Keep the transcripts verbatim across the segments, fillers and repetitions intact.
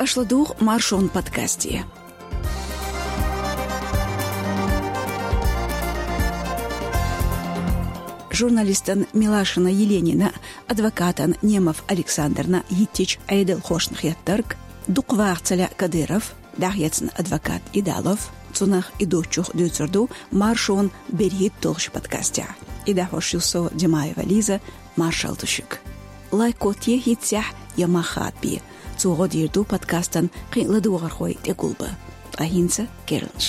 Аша ладугӀу Маршон подкасте. Журналистан Милашина Еленина, адвокатан Немов Александрна йиттича Ӏедалхошна хеттарг, дукха ваха ца лаьа Кадыров, дӀахецна адвокат Идалов, цунах и дочух дуьйцур ду Маршон берхӀитта долчу подкастехь. И дӀахьош ю со, Димаева Лиза, маршалла ду шуьга. Лайк котте хӀинццехь я мах хадабе. Цо гӀо дийр ду подкастан кхин а ладогӀархой тӀегулбан. Ткъа хӀинца керланаш.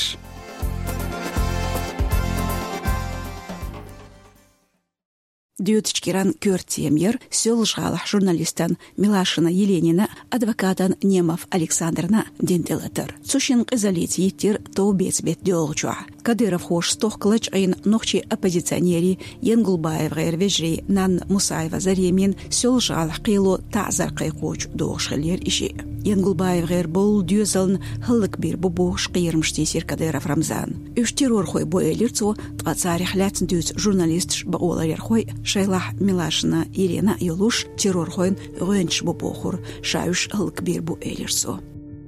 Доьдучу киран коьрта тема яра Соьлжа-ГӀалахь журналистан Милашина Еленина, адвокатан Немов Александрна дина тӀелатар. Цу шинна къизаллица йиттира товбеца беттан доьалгӀачохь. Кадыровхоша стохка лачкъийна нохчийн оппозиционерийн, ЯнгулбаевгӀеран вежарийн Нанна Мусаева Заремин Соьлжа-ГӀалахь кхело таӀзар кхайкхочу догӀуш хиллера и шиъ. ЯнгулбаевгӀеран болу доьзална хӀаллакбийр бу бохуш кхерамаш тийсира Кадыров Рамзана. Уьш террорхой бу, элира цо, ткъа царех лаьцна дуьйцу журналисташ, бакъоларъярхой, шайлахь Милашина Елена а йолуш, террорхойн гӀоьнчаш бу бохура, ша уьш хӀаллакбийр бу, элира цо.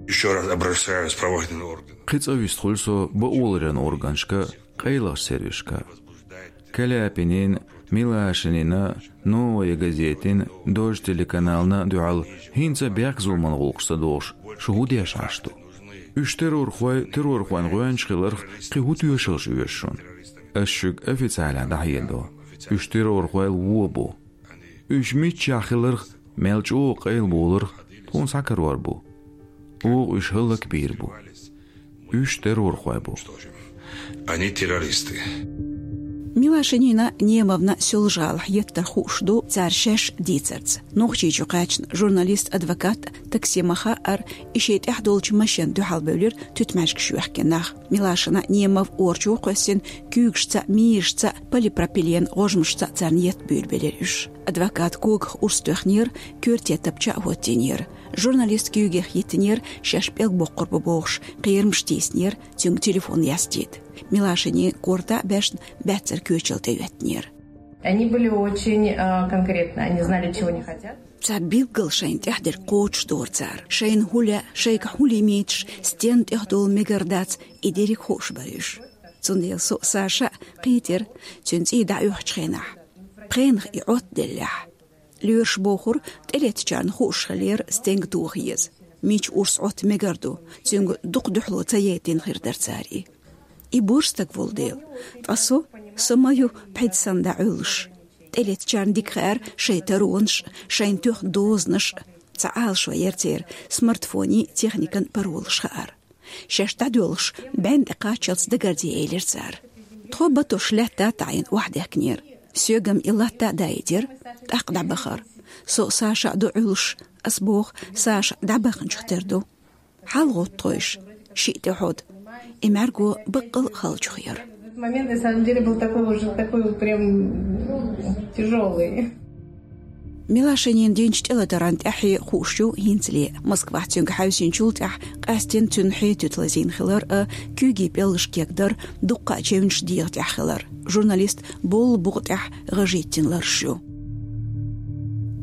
Ещё раз обращаюсь в правоохранительные органы. Кхин цкъа вистхуьлу со бакъоларъяран органашка, къайлахчу сервисашка. Каляпинин, Милашинина, Новая газетин, Дождь телеканална дуьхьал хӀинца бехк-зуламан гӀуллакхашца догӀуш, шу хӀун деш Ӏаш ду? Уьш террорхой, террорхойн гӀоьнчаш хиларх кхин хӀун тоьшаллаш оьшу шуна? Ас шуьга официалехь дӀахьедо: уьш террорхойла вон бу. Уьш миччахь хиларх, мел чӀогӀа къайла болурх тхуна схьакарор бу. Оха уьш хӀаллакбийр бу. Уьш террорхой бу. Они террористы. Милашинина, Немовна Соьлжа-ГӀалахь еттарх хууш ду цара шаьш дийцарца. Нохчийчу кхаьчна журналист, адвокат Таксима хаьара, и шен тӀехь долчу машенна дуьхьал бевлира туьтмаьжгаш йоьхкина нах. Милашина, Немов орчо кхоьссина, куьйгашца, мийрашца, полипропилен гӀожмашца царна етт буьйлабелира уьш. Адвоката когах урс тоьхнера, коьрте тапча а хӀоттийнера. Журналист куьйгех йиттинера, шаьш пӀелг боккхур бу бохуш, кхерамаш тийсинера, цуьнга телефон яздийта. Милашинин корта а баьшна, баьццара коьчал тӀеоьттинера. Они были очень, э, конкретны, они знали, чего они хотят. Цхьа билггал шайна тӀехь дерг кхочушдора цара. Шайна хӀун лаьа, шайгахь хӀун лимиташ, стенна тӀехь долу мегар дац, и дерриг хууш бара уьш. Цундела со а, Саша а кхийтира цуьнан цӀий дӀаоьхучу хенахь. Пхенах и Ӏоттаделлехь. Лоьраша бохура, тӀелеттачарна хууш хиллера стенга тоха еза, мича урс Ӏотта мегар ду, цуьнга дукха дуьхьало ца яйтина хир дара цара и. И буьрса стаг волу дела, ткъа со, со ма ю пхьида санна дӀа Ӏуьллуш. ТӀелеттачарна дика хаьара шайн таронаш, шайна тоьхна дозанаш, цхьа Ӏалашо яра церан, смартфонийн, техникан паролаш хаьара. Шаьш дӀадоьлхуш, бӀенна тӀе кхаччалц дагарде, элира цара. Тхо батош лаьтта а таӀийна охьадаьхкинера. Соьгам и латта а даийтира, тӀаккха дӀабахара. Со а, Саша а ду Ӏуьллуш, ас боху, Саша дӀабаханчух тера ду. ХьалагӀотту тхойша, шиъ тӀе хьода. И мӀаьрго баккъал а халчух яра. Этот момент, на самом деле, был такой уже, такой вот прям, ну, тяжёлый. Милашинина динчу тӀелатаран тӀаьххье хууш ю хӀинцале. Москвахь цуьнга хьаьвсинчул тӀаьхьа къаьсттина цуьнан хьетуьту лазийна хилар а, куьйгийн пӀелгаш кегдар, дуккха а чевнаш дегӀан тӀехь хилар. Журналист боллу букъа тӀехь гӀажийтина ларш ю.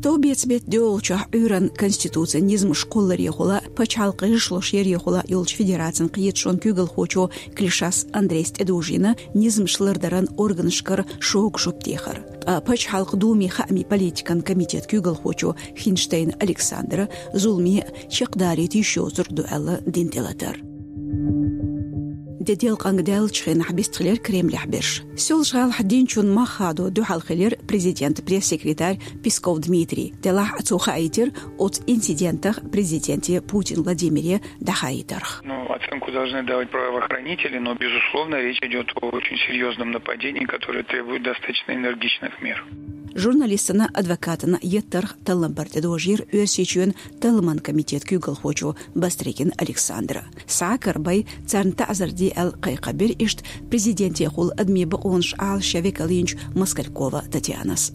Товбеца беттан доьалгӀачохь Ӏуьйранна конституцин низамаш кхолларехула, пачхьалкхан гӀишлош ярехула йолчу федерацин кхеташонан куьйгалхочо Клишас Андрейс тӀедужийна низамаш лардаран органашкара шога жоп дехар. Ткъа Пачхьалкхан Думин хаамийн политикан комитетан куьйгалхочо Хинштейн Александра зуламе чекхдалийта йиш йоцург ду аьлла дина тӀелатар. Де делкъанга даьллачу хенахь бистхилира Кремлехь берш. Соьлжа-ГӀалахь динчун мах хадо дуьхьал хилира президентан пресс-секретарь Песков Дмитрий. Делахь а цо хаийтира оцу инцидентах президенте Путин Владимире дӀахаийтарх. Ну, оценку должны давать правоохранители, но, безусловно, речь идёт о очень серьёзном нападении, которое требует достаточно энергичных мер. Журналистана, адвокатана еттарх таллампар тӀедожийра Оьрсийчоьнан талламан комитетан куьйгалхочо Бастрыкин Александра. Схьа а карабай, царна таӀзар де аьлла кхайкхам бира иштта президентехула адамийн бакъонаш Ӏалашъян векал йинчу Москалькова Татьянас.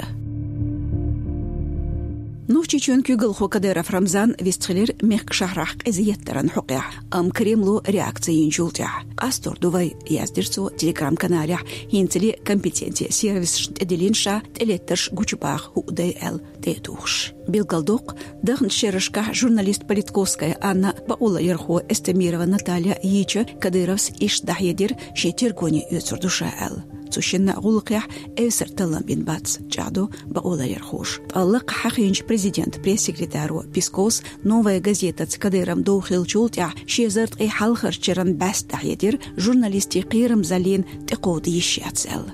Нохчийчоьнан куьйгалхо Кадыров Рамзан вистхилира мехкан шахьарахь къиза еттаран хьокъехь, амма Кремло реакци йинчул тӀаьхьа. «Къастор ду вай», — яздира цо Telegram-каналехь, хӀинцале компетенци сервисашна тӀедиллина ша тӀелеттарш гучубаха хӀуъа дай аьлла тӀе а тухуш. Билгалдоккху, дахначу шерашкахь журналист Политковская Анна, бакъоларъярхо Эстемирова Наталья йийча, Кадыровс иштта дӀахьедира, шен тергоне оьцур ду ша аьлла. Цу шинна гӀуллакхехь эвсара таллам бина бац, чӀагӀдо бакъоларъярхоша. Ткъа лакха хьахийначу президентан пресс-секретаро Песковс «Новая газетаца» Кадыровн дов хиллачул тӀаьхьа ши эзар ткъе хьалхарчу шеран бӀаьста дӀахьедира, журналистийн кхерамзаллина тӀекховда йиш яц аьлла.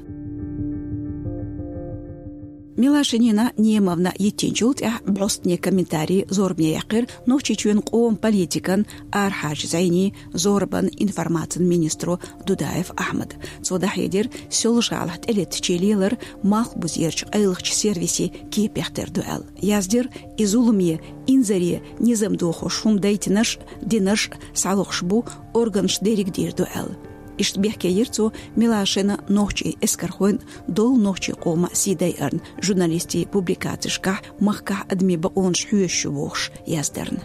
Милашинина Немовна йиттинчул тӀаьхьа бӀостане комментарий зорбане яьккхира Нохчийчоьнан къоман политикан, арахьарчу зӀенийн, зорбанан, информацин министро Дудаев Ахьмада. Цо дӀахьедира, Соьлжа-ГӀалахь тӀелеттачийн лелар малхбузерчу къайлахчу сервисийн кепех тера ду аьлла. Яздира, и зуламе, инзаре низам дохош хӀума дайтинарш а, динарш а схьалохуш бу, органаша дерриг дийр ду аьлла. Иштта бехке йира цо Милашина нохчийн эскархойн, долу нохчийн къоман сий дайарна, журналистийн публикацешкахь махкахь адамийн бакъонаш хьоьшуш ю бохуш яздарна.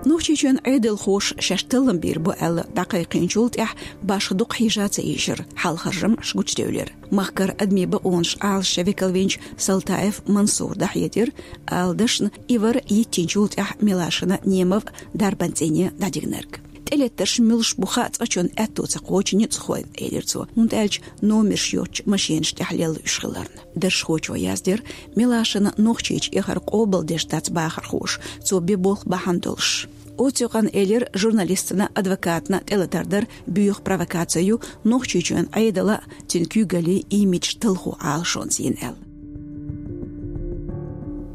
Нохчийчоьнан Ӏедалхоша шаьш таллам бийр бу аьлла дӀакхайкхийначул тӀаьхьа башха дукха хьежа ца ийшира, хьал-харжамаш гучудевлира. Махкара адамийн бакъонаш Ӏалашъян векал винчу Салтаев Мансура дӀахьедира, ала дашна, и вара йиттинчул тӀаьхьа Милашина, Немов дарбан цӀийне дӀадигнарг. ТӀелеттарш муьлш бу хаа цкъачунна аьтто ца кхочу ницкъахойн, элира цо, хӀунда аьлча номерш йоцучу машенаш тӀехь лелла уьш хиларна. Даржахочо яздира, Милашина Нохчийчу эхар къобалдеш дац бахархоша, цо бен болх бахьана долуш. Оцу юкъана элира, журналистана, адвокатана тӀелатар дар боьха провокаци ю, Нохчийчоьнан Ӏедалан а, цуьнан куьйгаллин а имидж талхо Ӏалашонца йина аьлла.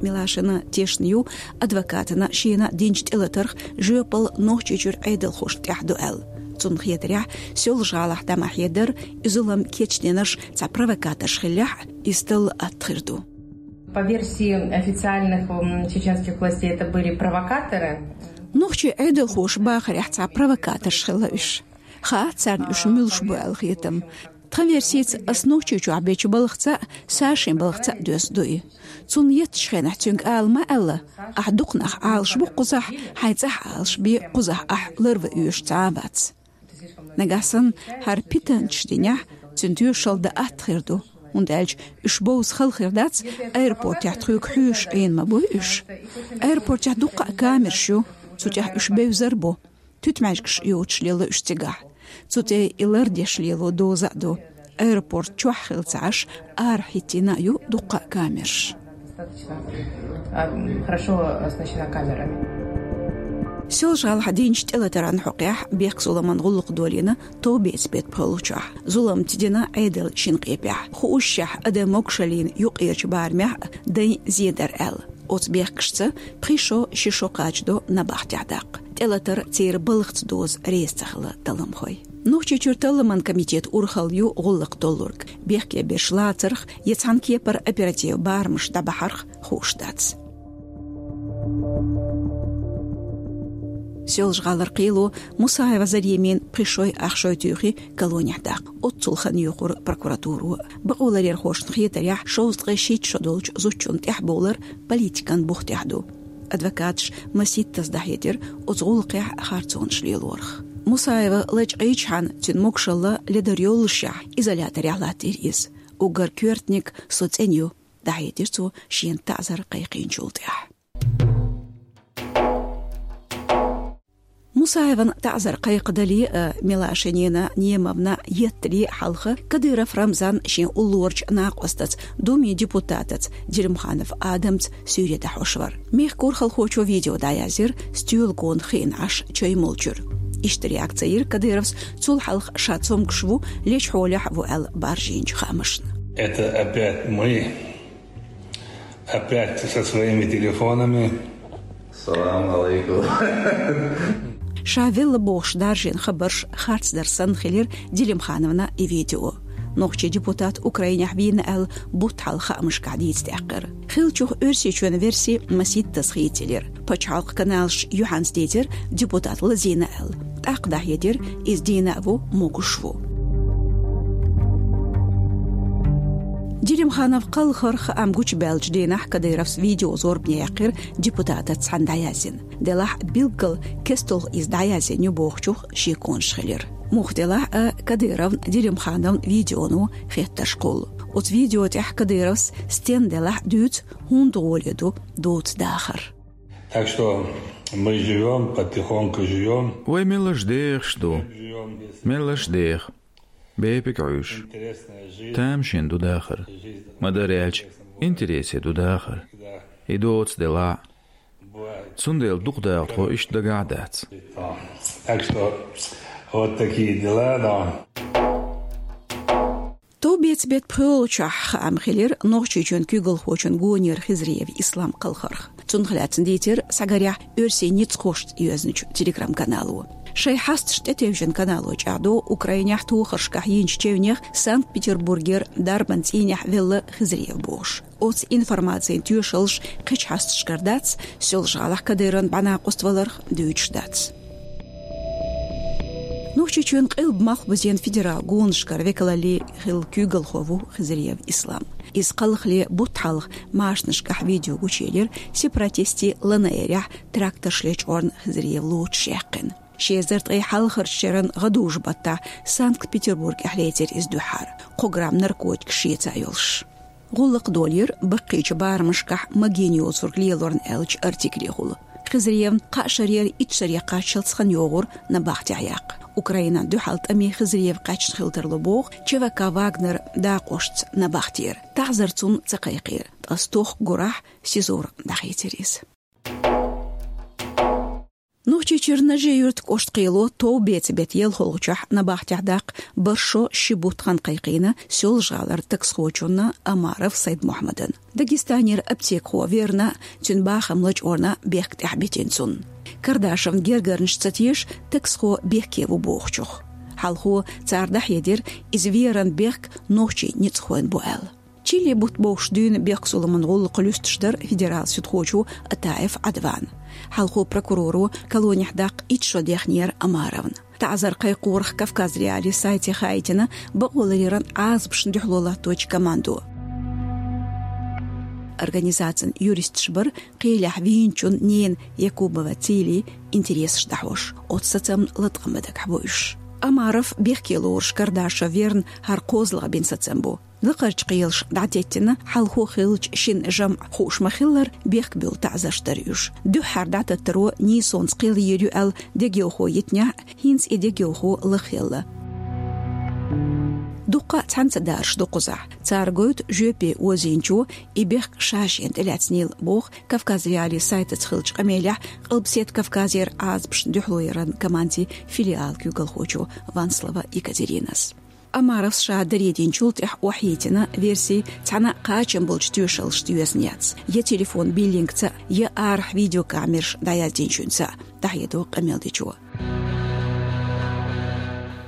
Милашина тешна ю, адвокатана шена динчу тӀелатарх жоьпалла Нохчийчуьра Ӏедалхошна тӀехь ду аьлла. Цунна хетарехь, Соьлжа-ГӀалахь дӀа ма хьедар, и зулам кечдинарш цхьа провокаторш хиллехь а, иза талла атта хир ду. По версии официальных, м, чеченских властей, это были провокаторы. Нохчийн Ӏедалхоша бахарехь цхьа провокаторш хилла уьш. Хаьа царна уьш муьлш бу аьлла хетам. Тхан версица, ас Нохчийчохь бечу балхаца а, Сашин балхаца а доьзна ду и. Цунна еттачу хенахь цуьнга ала ма аьлла: «Ахь дукха нах Ӏалашбо кхузахь, хьайн цӀахь Ӏалашбе, кхузахь ахь ларван оьшуш цхьа а вац». Нагахь санна хӀара питанчаш динехь, цуьнан тоьшалла дан атта хир ду, хӀунда аьлча уьш бовза хала хир дац, аэропортехь тхоьга хьоьжуш Ӏийна ма буй уьш. Аэропортехь дуккха а камераш ю, цу тӀехь уьш бевзар а бу. Туьтмаьжгаш йоцуш лелла уьш цигахь. Цу тӀе и лардеш лело доза а ду. Аэропорт чохь хилла ца Ӏаш, арахь хӀиттийна а ю дуккха а камераш. Достаточно, а, хорошо оснащена камерами. Соьлжа-ГӀалахь динчу тӀелатаран хьокъехь бехк-зуламан гӀуллакх долийна товбеца беттан пхоьалгӀачохь. Зулам тидина Ӏедалан шина къепехь. Хуушшехь, адам могушаллин юккъерчу барамехь а дайн зен дара аьлла. Оцу бехкашца пхи шо, ши шо кхачадо набахтехь даккха. ТӀелатар церан балхаца доза реза ца хилла талламхой. Нохчийчуьра талламан комитетан урхалла ю гӀуллакх толлург. Бехке берш лацарх я цхьана кепара оператив барамаш дӀабахьарх хууш дац. Соьлжа-ГӀалара кхело Мусаева Заремин пхи шой, ах шой туьйхи колонехь даккха. Оццул хан йоькхура прокуратуро. Бакъоларъярхошна хетарехь, шовзткъе шийтта шо долчу зудчунна тӀехь бовлар политикан бух тӀехь ду. Адвокаташа масийттаза дӀахьедира оцу гӀуллакхехь харцонаш лелорах. Мусаева лачкъийчхьана, цуьнан могушалла ледар йоллушехь, изоляторехь латтийра иза. Уггар коьртаниг со цӀена ю, дӀахьедира цо шена таӀзар кхайкхийначул тӀаьхьа. Мусаеван таӀзар кхайкхадале а, Милашинина Немовна еттале а хьалха Кадыров Рамзан шен уллорачу накъостаца, Думин депутатаца Делимханов Адамца суьйре дӀахьош вара. Мехкан урхалхочо видео дӀаязйира, стоьла гона хиъна Ӏаш чай молчуьра. Иштта реакци йира Кадыровс цул хьалха ша цомгуш ву, лечу хьолехь а ву аьлла баржийначу хаамашна. Это опять мы. Опять со своими телефонами. Салам алейкум. Ша велла бохуш даржийна хабарш харцдар санна хилира Делимхановна и видео. Нохчийн депутат Украинехь вийна аьлла бутт хьалха хаамашкахь дийца даьккхира. Хиллачух Оьрсийчоьнан верси масийттаза хийцаелира. Пачхьалкхан каналаш юьхьанца дийцира депутат лазийна аьлла. ТӀаккха дӀахьедира, иза дийна а ву, могуш а ву. Делим Делимханов кхалхар хаам гучабаьллачу дийнахь Кадыровс видео зорбане яьккхира депутатаца цхьаьна дӀаяздина. Делахь билггал кестта иза дӀаязйина ю бохучух шеконаш хилира. Муха делахь а Кадыровн, Делимхановн видеоно хеттарш кхуллу. Оцу видео тӀехь Кадыровс стенна делахь а дуьйцу, хӀунда гӀоле ду доцу дахар. Так что мы живём, потихоньку живём. Вай меллаша дехаш ду. Меллаша деха. Бепиг Ӏуьйш. Тамашийна ду дахар. Ма-дарра аьлча, интересе ду дахар. И доцу делахь а. Цундела дукха даха тхо иштта дагахь а дац. Так что вот такие дела, но. Товбеца беттан пхоьалгӀачохь хаам хилира Нохчийчоьнан куьйгалхочун гонера Хизриев Ислам кхалхарх. Цунах лаьцна дийцира схьагарехь оьрсийн ницкъахошца йоьзначу телеграм-канало. Шайн хьасташ тӀетевжина канало чӀагӀдо Украинехь тохаршкахь йинчу чевнех Санкт-Петербургера дарбан цӀийнехь велла Хизриев бохуш. Оцу информацин тоьшаллаш кхечу хьасташкара дац, Соьлжа-ГӀалахь Кадыровн бӀаьнакъост валарх дуьйцуш дац. Нохчийчоьнан Къилба-Малхбузен федерал гонашкара векалалле хилла куьйгалхо ву Хизриев Ислам. Иза кхалхале бутт хьалха машанашкахь видео гучуелира сепаратистийн ЛНР-ехь тракторш лечкъорна Хизриев лоцуш яьккхина. Ши эзар ткъе хьалхарчу шеран гӀадужу-баттахь Санкт-Петербургехь лецира иза дуьххьара, кхо грамм наркотикаш шеца йолуш. ГӀуллакх долийра баккхийчу барамашкахь магийна йоцург лелорна аьллачу артиклехула. Хизриевн кхаа шарера итт шаре кхаччалц хан йогӀура набахтехь яккха. Украинан дуьхьал тӀаме Хизриев кхаьчна хила тарло боху ЧВК «Вагнер» дакъошца набахтера. ТаӀзар цунна ца кхайкхийра, ткъа стохка гурахь СИЗО-ра дӀахийцира иза. Нохчийчуьра Нажи-Юьртан кӀоштан кхело товбеца беттан ялхолгӀачохь набахтехь даккха бархӀ шо ши бутт хан кхайкхийна Соьлжа-ГӀалара таксхочунна Омаров Сайд-Мухьаммадна. Дагестанера аптекахо верна, цуьнан бахам лачкъорна бехк тӀехь битина цунна. Кардашевн гергарнаш ца теша, таксхо бехке ву бохучух. Хьалхо цара дӀахьедира, иза веран бехк нохчийн ницкъахойн бу аьлла. Чилли бутт бовш дуьйна бехкзуламан гӀуллакх луьстуш дара федерал суьдхочо Атаев Ӏадвана. Хьалхо прокуроро колонехь даккха итт шо дехнера Омаровна. ТаӀзар кхайкхорах Кавказ.Реалии сайте хаийтина бакъоларъяран Ӏазапашна дуьхьало латточу командо. Организацин юристаш бара кхелехь вийначун ненан Якубова Цилин интересаш дӀахьош, оцу сацамна латкъам бан дагахь бу уьш. Омаров бехке лоруш Кардашев верна хӀара кхозлагӀа бина сацам бу. Лакхарчу кхелаша дӀатеттина, хьалхо хиллачу шина жамӀан хууш ма-хиллара, бехк буьллу таӀзарш дара уьш. Дуьххьара дӀататтаро нийсонца кхел йийр ю аьлла дегайовхо йитинехь, хӀинца и дегайовхо лаххаелла. Дуккха а цхьаьна ца дараш ду кхузахь. Цара гойту жоьпе озийначо и бехк ша шена тӀелаьцнийла, боху Кавказ.Реалии сайтаца хиллачу къамелехь Къилбаседа Кавказера Ӏазапашна дуьхьалояран командин филиалан куьйгалхочо Ванслова Екатеринас. Омаровс ша даре динчул тӀаьхьа охьайийтина верси цхьана а кхачам болчу тоьшаллашца йоьзна яц: я телефон биллингца, я арахь видеокамераш дӀаяздинчуьнца, дӀахьедо къамелдечо.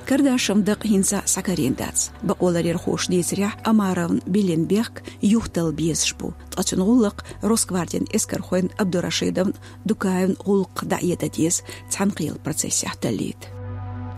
Кардашевн дакъа хӀинца а схьакарийна дац. Бакъоларъярхоша дийцарехь, Омаровна биллина бехк юхаталла безаш бу, ткъа цуьнан гӀуллакх Росгвардин эскархойн Абдурашидовн, Дукаевн гӀуллакхах дӀаэдан деза, цхьаьнакхелан процессехь таллийта.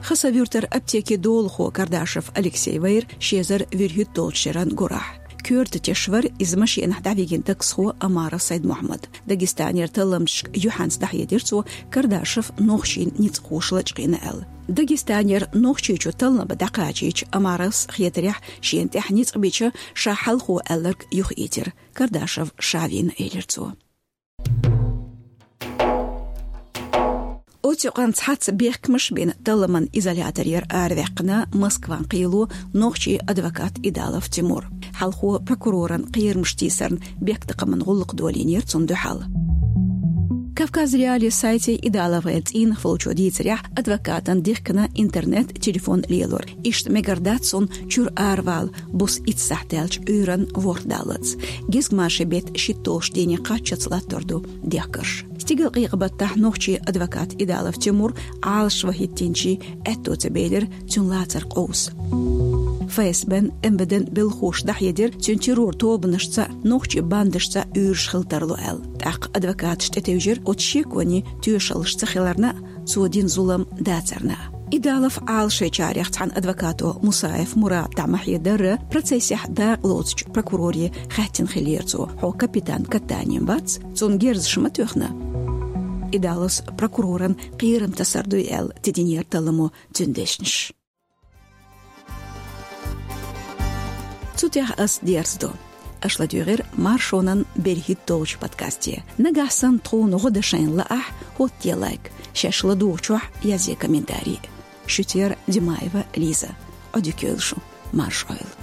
Хасавюртара аптекин долахо Кардашев Алексей вайра ши эзар вуьрхӀитталгӀачу шеран гурахь. Коьрта теш вара иза машенахь дӀавигина таксхо Омаров Сайд-Мухьаммад. Дагестанера талламчашка юьхьанца дӀахьедира цо, Кардашев нохчийн ницкъахоша лачкъийна аьлла. Дагестанера Нохчийчу таллам бан дӀакхачийча, Омаровс хетарехь, шена тӀехь ницкъ бича, ша хьалхо аьлларг юхаэцира. Кардашев ша вийна, элира цо. Оцу юкъанна цхьацца бехкамаш а бина, талламан изоляторера араваьккхина Москван кхело нохчийн адвокат Идалов Тимур. Хьалхо прокуроран кхерамаш тийсарна бехктакхаман гӀуллакх долийнера цунна дуьхьал. Кавказ.Реалии сайте Идаловгер цӀийнах волчо дийцарехь, адвокатана дихкина интернет, телефон лелор. Иштта мегар дац цунна чуьра аравала, буса итт сахьт даьлча Ӏуьйранна ворхӀ даллалц. Гезгмашин беттан шийтталгӀачу дийне кхаччалц латтор ду дехкарш. Стигалкъекъа-баттахь нохчийн адвокат Идалов Тимур Ӏалашо хӀиттийначийн аьтто ца белира цуьнан лацар къовса. ФСБ-н, МВД-н белхахоша дӀахьедира, цуьнан террор-тобанашца, нохчийн бандашца уьйраш хила тарло аьлла. ТӀаккха адвокаташ тӀетевжира оцу шеконе тоьшаллаш ца хиларна а, цо дина зулам дацарна а. Идалов Ӏалашайчарех цхьан адвокато Мусаев Мурада дӀа ма хьедарра, процессехь дакъа лоцучу прокуроре хаьттина хиллера цо: «Хьо капитан Катанин вац, цунна герзаш ма тоьхна?» Идаловс прокуроран кхерам тасар дуй аьлла тидинера талламо цуьнан дешнаш. Цу тӀехь ас дерзадо. Аша ладуьйгӀира Маршонан берхӀитталгӀачу подкасте. Нагахь санна тхуна гӀо дан шайна лаахь, хӀоттае лайк, шаьш ладугӀучохь язъе комментарий. Шуьца яра Димаева Лиза. Ӏодика йойла шу, марша Ӏойла.